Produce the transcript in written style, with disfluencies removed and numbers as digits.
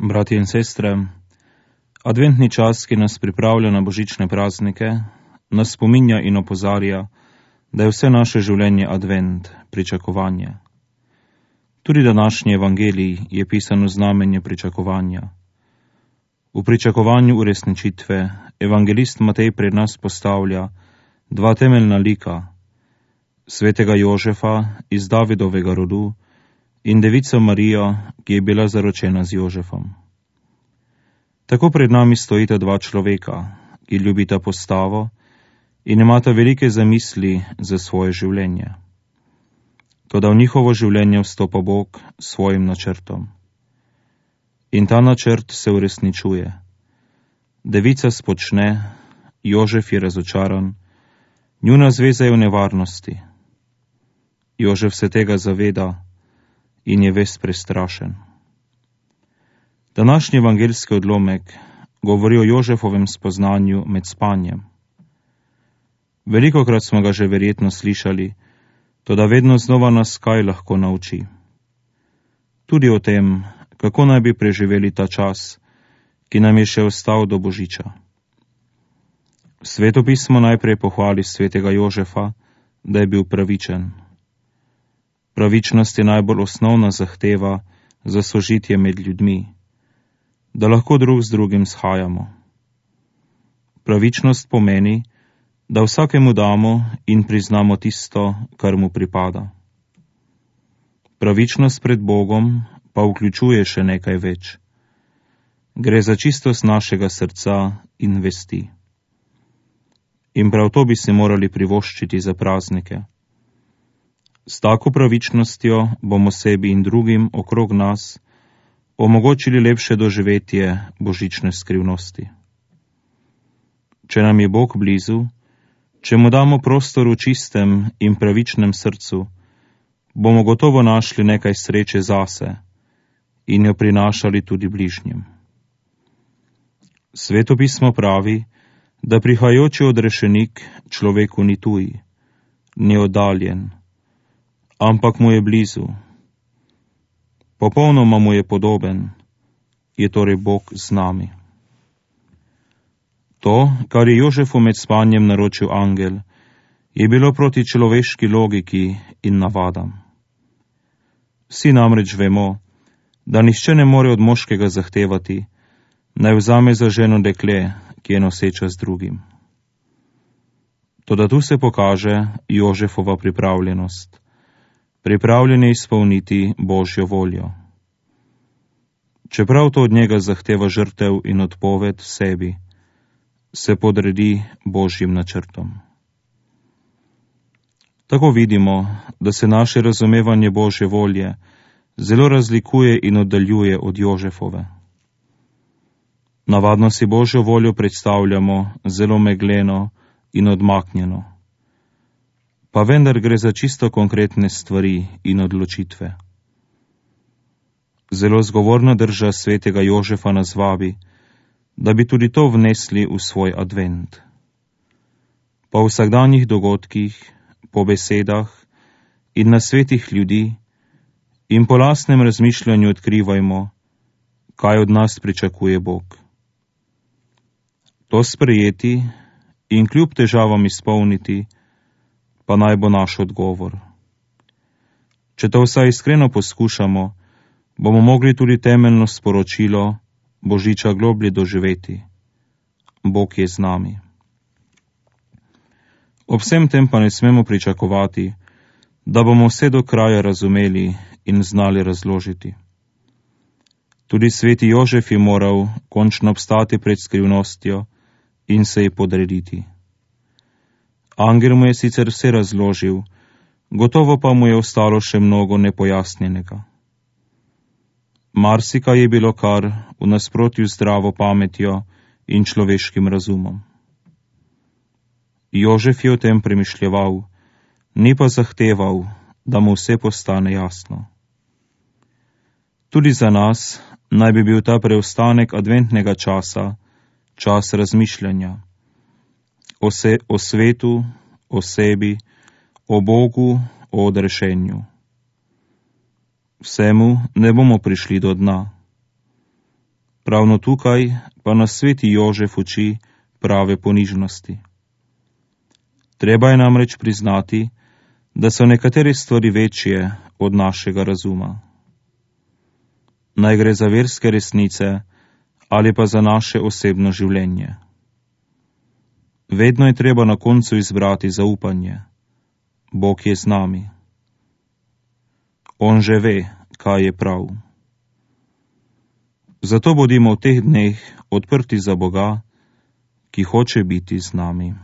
Bratje in sestre, adventni čas, ki nas pripravlja na božične praznike, nas spominja in opozarja, da je vse naše življenje advent, pričakovanje. Tudi današnji evangelij je pisan v znamenje pričakovanja. V pričakovanju uresničitve evangelist Matej pred nas postavlja dva temeljna lika, svetega Jožefa iz Davidovega rodu in devico Marijo, ki je bila zaročena z Jožefom. Tako pred nami stojita dva človeka, ki ljubita postavo in imata velike zamisli za svoje življenje. Toda v njihovo življenje vstopa Bog s svojim načrtom. In ta načrt se uresničuje. Devica spočne, Jožef je razočaran, njuna zveza je v nevarnosti. Jožef se tega zaveda in je ves prestrašen. Današnji evangeljski odlomek govori o Jožefovem spoznanju med spanjem. Velikokrat smo ga že verjetno slišali, toda vedno znova nas kaj lahko nauči. Tudi o tem, kako naj bi preživeli ta čas, ki nam je še ostal do božiča. Svetopismo najprej pohvali svetega Jožefa, da je bil pravičen. Pravičnost je najbolj osnovna zahteva za sožitje med ljudmi, da lahko drug z drugim shajamo. Pravičnost pomeni, da vsakemu damo in priznamo tisto, kar mu pripada. Pravičnost pred Bogom pa vključuje še nekaj več. Gre za čistost našega srca in vesti. In prav to bi si morali privoščiti za praznike. S tako pravičnostjo bomo sebi in drugim okrog nas omogočili lepše doživetje božične skrivnosti. Če nam je Bog blizu, če mu damo prostor v čistem in pravičnem srcu, bomo gotovo našli nekaj sreče zase in jo prinašali tudi bližnjim. Svetopismo pravi, da prihajajoči odrešenik človeku ni tuj, ni oddaljen, ampak mu je blizu. Popolnoma mu je podoben, je torej Bog z nami. To, kar je Jožefu med spanjem naročil angel, je bilo proti človeški logiki in navadam. Vsi namreč vemo, da nihče ne more od moškega zahtevati, naj vzame za ženo dekle, ki je noseča z drugim. Toda tu se pokaže Jožefova pripravljenost. Pripravljen je izpolniti Božjo voljo. Čeprav to od njega zahteva žrtev in odpoved sebi, se podredi Božjim načrtom. Tako vidimo, da se naše razumevanje Božje volje zelo razlikuje in oddaljuje od Jožefove. Navadno si Božjo voljo predstavljamo zelo megleno in odmaknjeno. Pa vendar gre za čisto konkretne stvari in odločitve. Zelo zgovorna drža svetega Jožefa nas vabi, da bi tudi to vnesli v svoj advent. Po vsakdanjih dogodkih, po besedah in nasvetih ljudi in po lastnem razmišljanju odkrivajmo, kaj od nas pričakuje Bog. To sprejeti in kljub težavam izpolniti, pa naj bo naš odgovor. Če to vsaj iskreno poskušamo, bomo mogli tudi temeljno sporočilo božiča globlje doživeti. Bog je z nami. Ob vsem tem pa ne smemo pričakovati, da bomo vse do kraja razumeli in znali razložiti. Tudi sveti Jožef je moral končno obstati pred skrivnostjo in se ji podrediti. Angel mu je sicer vse razložil, gotovo pa mu je ostalo še mnogo nepojasnjenega. Marsikaj je bilo kar v nasprotju z zdravo pametjo in človeškim razumom. Jožef je o tem premišljeval, ni pa zahteval, da mu vse postane jasno. Tudi za nas naj bi bil ta preostanek adventnega časa čas razmišljanja o svetu, o sebi, o Bogu, o odrešenju. Vsemu ne bomo prišli do dna. Ravno tukaj pa nas sveti Jožef uči prave ponižnosti. Treba je namreč priznati, da so nekatere stvari večje od našega razuma. Naj gre za verske resnice ali pa za naše osebno življenje. Vedno je treba na koncu izbrati zaupanje. Bog je z nami. On že ve, kaj je prav. Zato bodimo v teh dneh odprti za Boga, ki hoče biti z nami.